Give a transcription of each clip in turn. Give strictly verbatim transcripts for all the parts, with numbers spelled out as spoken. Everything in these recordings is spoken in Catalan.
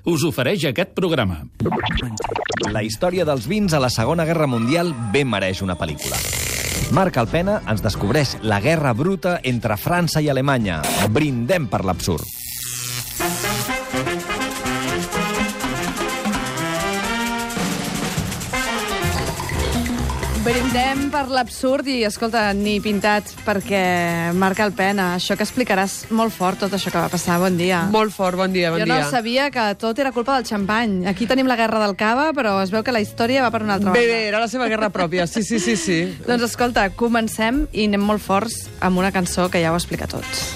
us ofereix aquest programa. La història dels vins a la Segona Guerra Mundial ben mereix una pel·lícula. Marc Alpena ens descobreix la guerra bruta entre França i Alemanya. Brindem per l'absurd. Brindem per l'absurd i, escolta, ni pintat, perquè Marc Alpena, això que explicaràs molt fort, tot això que va passar. Bon dia. Molt fort, bon dia, bon jo dia. Jo no sabia que tot era culpa del xampany. Aquí tenim la guerra del cava, però es veu que la història va per una altra Bé, banda. bé, era la seva guerra pròpia, sí, sí, sí, sí. Doncs escolta, comencem i anem molt forts amb una cançó que ja ho explica tots.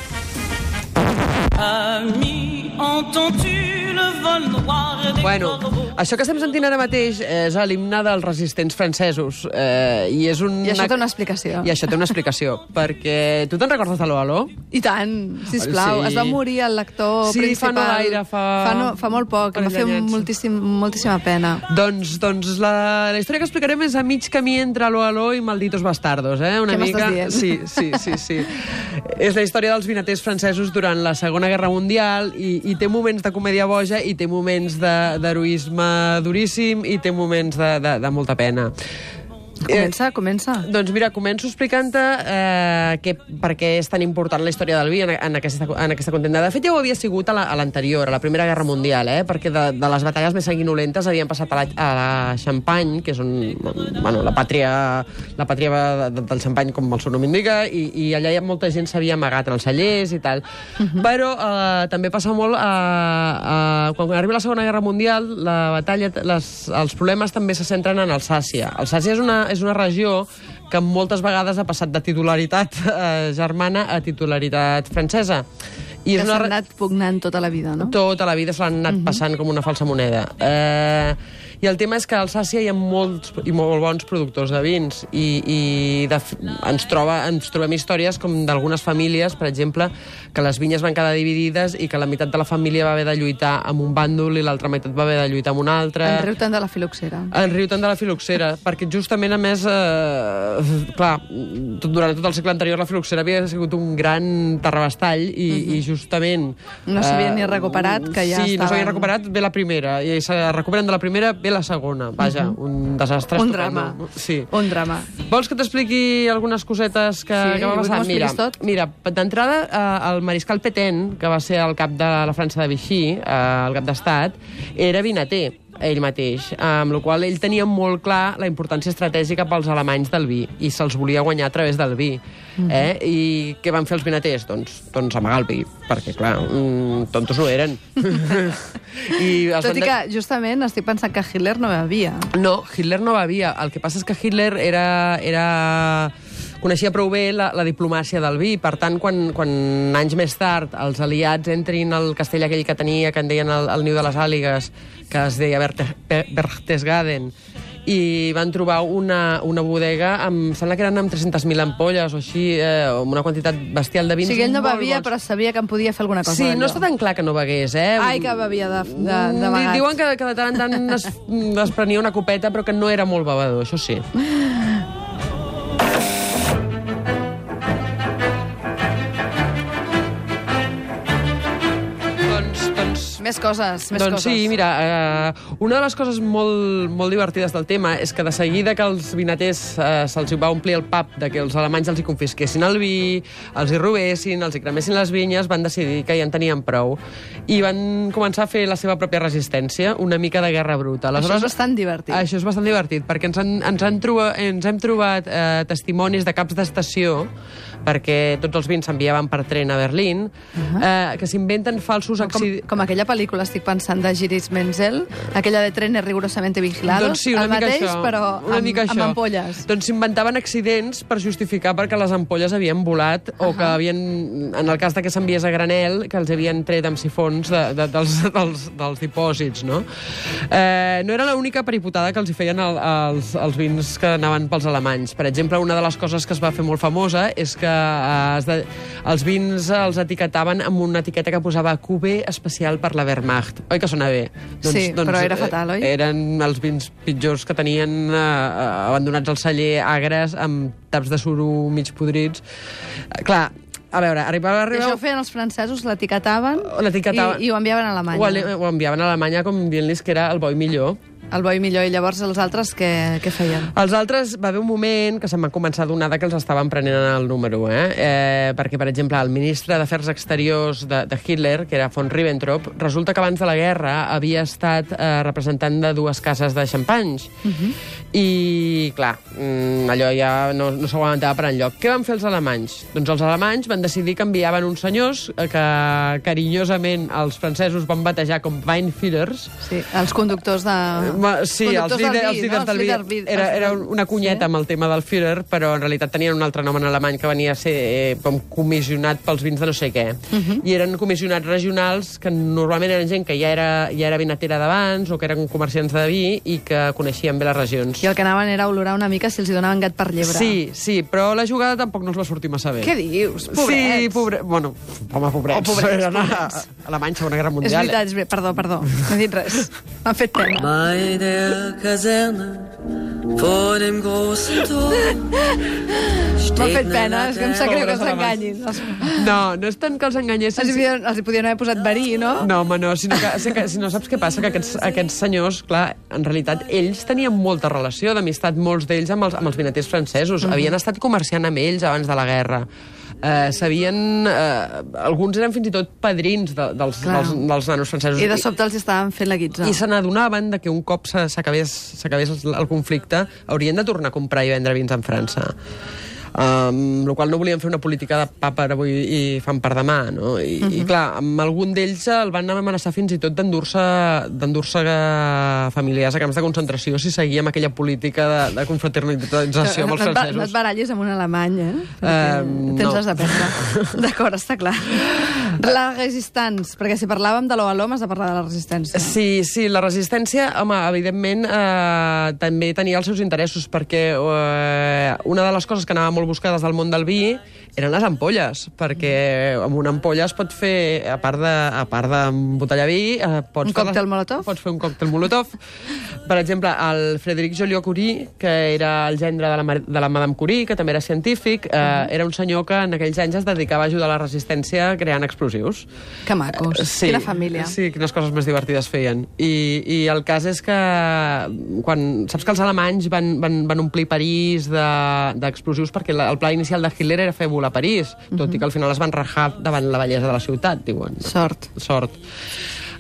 Ami, entends-tu le vol noir des Bueno, corbeaux? això que estem sentint ara mateix és l'himne dels resistents francesos. Eh, i, és un... I això té una explicació. I això té una explicació, perquè... Tu te'n recordes d'Aló, Aló? I tant, sisplau. Sí. Es va morir el lector Sí, principal. fa no gaire, fa... Fa, no, fa molt poc, em va fer parell d'anyets. moltíssim, moltíssima pena. Doncs, doncs la, la història que explicarem és a mig camí entre Aló, Aló i Malditos Bastardos, eh? Una Què mica... m'estàs dient? Sí, sí, sí, sí. És la història dels vinaters francesos durant la Segona Guerra Mundial i, i té moments de comèdia boja i té moments d'heroisme duríssim i té moments de, de, de molta pena. Comença, comença. Doncs mira, començo explicant-te eh, que, per què és tan important la història del vi en, en, aquesta, en aquesta contenda. De fet, ja ho havia sigut a l'anterior, la, a la Primera Guerra Mundial, eh, perquè de, de les batalles més sanguinolentes havien passat a la, a la Champagne, que és on, bueno, la pàtria, la pàtria de, del Champagne, com el seu nom indica, i, i allà hi ha molta gent s'havia amagat en els cellers i tal. Uh -huh. Però eh, també passa molt, a, a, quan arriba la Segona Guerra Mundial, la batalla, les, els problemes també se centren en Alsàcia. Alsàcia és una és una regió que moltes vegades ha passat de titularitat eh, germana a titularitat francesa. I que és una... s'ha anat pugnant tota la vida, no? Tota la vida se l'han anat uh -huh. passant com una falsa moneda. Eh, I el tema és que a Alsàcia hi ha molts i molt bons productors de vins i, i de, ens, troba, ens trobem històries com d'algunes famílies, per exemple, que les vinyes van quedar dividides i que la meitat de la família va haver de lluitar amb un bàndol i l'altra meitat va haver de lluitar amb un altre. En riu tant de la filoxera. En riu tant de la filoxera, perquè justament, a més, eh, clar, tot, durant tot el segle anterior la filoxera havia sigut un gran terrabastall i, uh -huh. i justament... No s'havia eh, ni recuperat, que ja sí, estaven... no s'havia recuperat, ve la primera, i se recuperen de la primera, ve la segona. Vaja, uh -huh. un desastre. Un estupendo. drama. Sí. Un drama. Vols que t'expliqui algunes cosetes que, Sí, que va passar? vull que Mira, tot. mira d'entrada, eh, el mariscal Pétain, que va ser el cap de la França de Vichy, eh, el cap d'estat, era vinater, ell mateix, amb la qual ell tenia molt clar la importància estratègica pels alemanys del vi, i se'ls volia guanyar a través del vi. Mm-hmm. eh? I què van fer els vinaters? Doncs, doncs amagar el vi, perquè, clar, mm, tontos no eren. I els Tot i van de... que, justament, estic pensant que Hitler no bevia. No, Hitler no bevia. El que passa és que Hitler era... era... coneixia prou bé la, la diplomàcia del vi. Per tant, quan, quan anys més tard els aliats entrin al castell aquell que tenia, que en deien el, el niu de les àligues, que es deia Berte, Berchtesgaden, i van trobar una, una bodega amb, sembla que eren amb tres-centes mil ampolles o així, eh, amb una quantitat bestial de vins. O sigui, ell no molt bevia, bons. però sabia que en podia fer alguna cosa. Sí, d'allò. no està tan clar que no begués, eh? Ai, que bevia de, de, de vegat. Diuen que, que de tant en tant es, es prenia una copeta, però que no era molt bevedor, això sí. Més coses, més doncs coses. sí, mira, eh, una de les coses molt, molt divertides del tema és que de seguida que els vinaters eh, se'ls va omplir el pap de que els alemanys els hi confisquessin el vi, els hi robessin, els hi cremessin les vinyes, van decidir que ja en tenien prou i van començar a fer la seva pròpia resistència, una mica de guerra bruta. Aleshores, això és bastant divertit. Això és bastant divertit, perquè ens, han, ens, han trobat, ens hem trobat eh, testimonis de caps d'estació, perquè tots els vins s'enviaven per tren a Berlín, uh -huh. eh, que s'inventen falsos accidents... Com, com aquella pel·lícula, estic pensant, de Giris Menzel, aquella de Trenes rigurosamente vigilados, doncs sí, una el mica mateix, això, però una amb, mica amb això. ampolles. Doncs s'inventaven accidents per justificar perquè les ampolles havien volat uh -huh. o que havien, en el cas de que s'enviés a granel, que els havien tret amb sifons de, de, dels, dels, dels dipòsits, no? Eh, no era l'única peripotada que els hi feien el, els, els vins que anaven pels alemanys. Per exemple, una de les coses que es va fer molt famosa és que eh, es de, els vins els etiquetaven amb una etiqueta que posava Q B especial per la Wehrmacht. Oi que sona bé? Doncs, sí, doncs, però era fatal, oi? Eren els vins pitjors que tenien eh, abandonats al celler, agres, amb taps de suro mig podrits. Eh, clar, a veure, arribava... I arribava... això ho feien els francesos, l'etiquetaven L'etiquetaven. i, i ho enviaven a Alemanya. Ho, ale- ho enviaven a Alemanya com dient-los que era el boi millor. El boi millor, i llavors els altres què, què feien? Els altres, va haver un moment que se'n van començar a donar que els estaven prenent el número, eh? eh perquè, per exemple, el ministre d'Afers Exteriors de, de Hitler, que era von Ribbentrop, resulta que abans de la guerra havia estat eh, representant de dues cases de xampanys. Uh -huh. I, clar, mm, allò ja no, no s'ho aguantava per enlloc. Què van fer els alemanys? Doncs els alemanys van decidir que enviaven uns senyors eh, que carinyosament els francesos van batejar com Weinführers. Sí, els conductors de... Ma, sí, els Conductors del líders, vi, els líders no? del vi. Els líders vi- Era, era els- una cunyeta sí. amb el tema del Führer, però en realitat tenien un altre nom en alemany que venia a ser eh, com comissionat pels vins de no sé què. Uh -huh. I eren comissionats regionals que normalment eren gent que ja era, ja era vinatera d'abans o que eren comerciants de vi i que coneixien bé les regions. I el que anaven era olorar una mica si els hi donaven gat per llebre. Sí, sí, però la jugada tampoc no els va sortir massa bé. Què dius? Pobrets. Sí, pobre... Bueno, home, pobrets. Oh, pobrets, Eren a, pobrets. a Alemanya, Segona Guerra És Mundial. veritat, és veritat. Perdó, perdó. No he dit res. M'han fet pena. Bei der Kaserne vor dem großen Tor M'ha fet pena, és que em sap greu que Pobres s'enganyin. Els, No, no és tant que els enganyessin. els, hi podien, els hi podien haver posat verí, no? No, home, no, sinó que, que, si no saps què passa, que aquests, aquests senyors, clar, en realitat, ells tenien molta relació d'amistat, molts d'ells, amb els, amb els vinaters francesos. Uh -huh. Havien estat comerciant amb ells abans de la guerra. Eh, sabien... Eh, alguns eren fins i tot padrins de, dels, dels, dels nanos francesos. I de sobte els estaven fent la guitza. I se n'adonaven de que un cop se- s'acabés s'acabés el conflicte haurien de tornar a comprar i vendre vins en França. Um, el qual no volien fer una política de pa per avui i fam per demà, no? I, uh -huh. i clar, amb algun d'ells el van amenaçar fins i tot d'endur-se d'endur-se familiars a camps de concentració si seguia amb aquella política de, de confraternització amb els no, et ba- francesos. no et barallis amb un alemany, eh? Um, Tens no. les de perdre. D'acord, està clar. La resistència, perquè si parlàvem de l'O a l'O, has de parlar de la resistència. Sí, sí, la resistència, home, evidentment, eh, també tenia els seus interessos, perquè eh, una de les coses que anava molt buscades del món del vi eren les ampolles, perquè amb una ampolla es pot fer, a part de, a part d'embotellar vi... Eh, pots Un fer còctel les- Molotov? Pots fer un còctel Molotov. Per exemple, el Frédéric Joliot-Curie, que era el gendre de la, Mar- de la Madame Curie, que també era científic, eh, era un senyor que en aquells anys es dedicava a ajudar a la resistència creant explosius. Que macos. Sí, Quina família. Sí, quines coses més divertides feien. I, i el cas és que quan, saps que els alemanys van, van, van omplir París de- d'explosius de, perquè la, el pla inicial de Hitler era fer volar París, tot uh -huh. i que al final es van rajar davant la bellesa de la ciutat, diuen. Sort. Sort.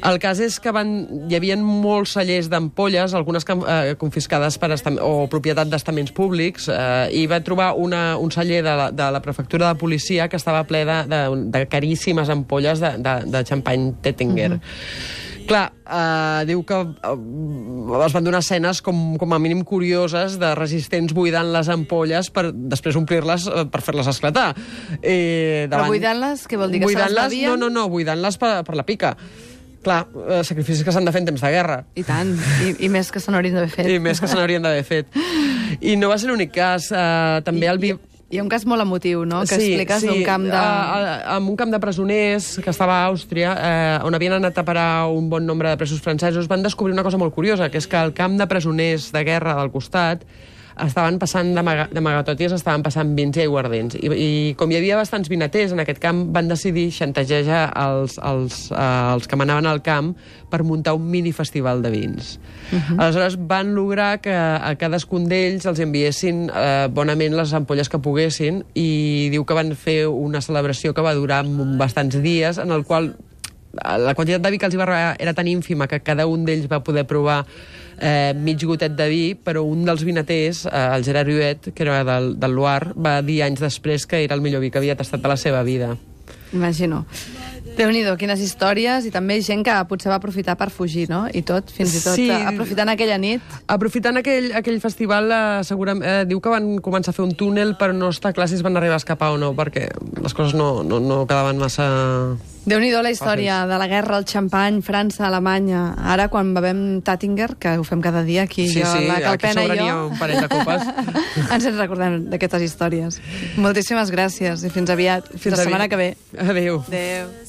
El cas és que van, hi havia molts cellers d'ampolles, algunes que, eh, confiscades per estam, o propietat d'estaments públics, eh, i va trobar una, un celler de la, de la prefectura de policia que estava ple de, de, de caríssimes ampolles de, de, de xampany Tettinger. Uh -huh. Clar, eh, diu que eh, es van donar escenes com, com a mínim curioses de resistents buidant les ampolles per després omplir-les eh, per fer-les esclatar. Eh, Però buidant-les, què vol dir? Que se les buidant-les, bevien? no, no, no, buidant-les per, per la pica. Clar, eh, sacrificis que s'han de fer en temps de guerra. I tant, i, i més que se n'haurien d'haver fet. I més que se n'haurien d'haver fet. I no va ser l'únic cas. Eh, també I, el vi... I, hi ha un cas molt emotiu, no?, que expliques d'un camp de... Uh, en un camp de presoners que estava a Àustria, eh, on havien anat a parar un bon nombre de presos francesos, van descobrir una cosa molt curiosa, que és que el camp de presoners de guerra del costat estaven passant d'amagat i estaven passant vins i aiguardents. I, I com hi havia bastants vinaters en aquest camp, van decidir xantajejar els, els, uh, els que manaven al camp per muntar un mini-festival de vins. Uh -huh. Aleshores van lograr que a cadascun d'ells els enviessin uh, bonament les ampolles que poguessin i diu que van fer una celebració que va durar bastants dies, en el qual la quantitat de vi que els hi va arribar era tan ínfima que cada un d'ells va poder provar eh, mig gotet de vi, però un dels vinaters, eh, el Gerard Huet, que era del, del Loire, va dir anys després que era el millor vi que havia tastat de la seva vida. Imagino. Déu-n'hi-do, quines històries, i també gent que potser va aprofitar per fugir, no? I tot, fins i tot, Sí. aprofitant aquella nit. Aprofitant aquell, aquell festival, eh, segurament, eh, diu que van començar a fer un túnel, però no està clar si es van arribar a escapar o no, perquè les coses no, no, no quedaven massa... Déu-n'hi-do la història de la guerra, el xampany, França, Alemanya. Ara, quan bevem Tattinger, que ho fem cada dia aquí, Sí, jo, sí, la aquí Calpena i sobre n'hi ha jo, un parell de copes. ens en recordem d'aquestes històries. Moltíssimes gràcies i fins aviat. Fins, la setmana aviat. que ve. Adéu. Adéu.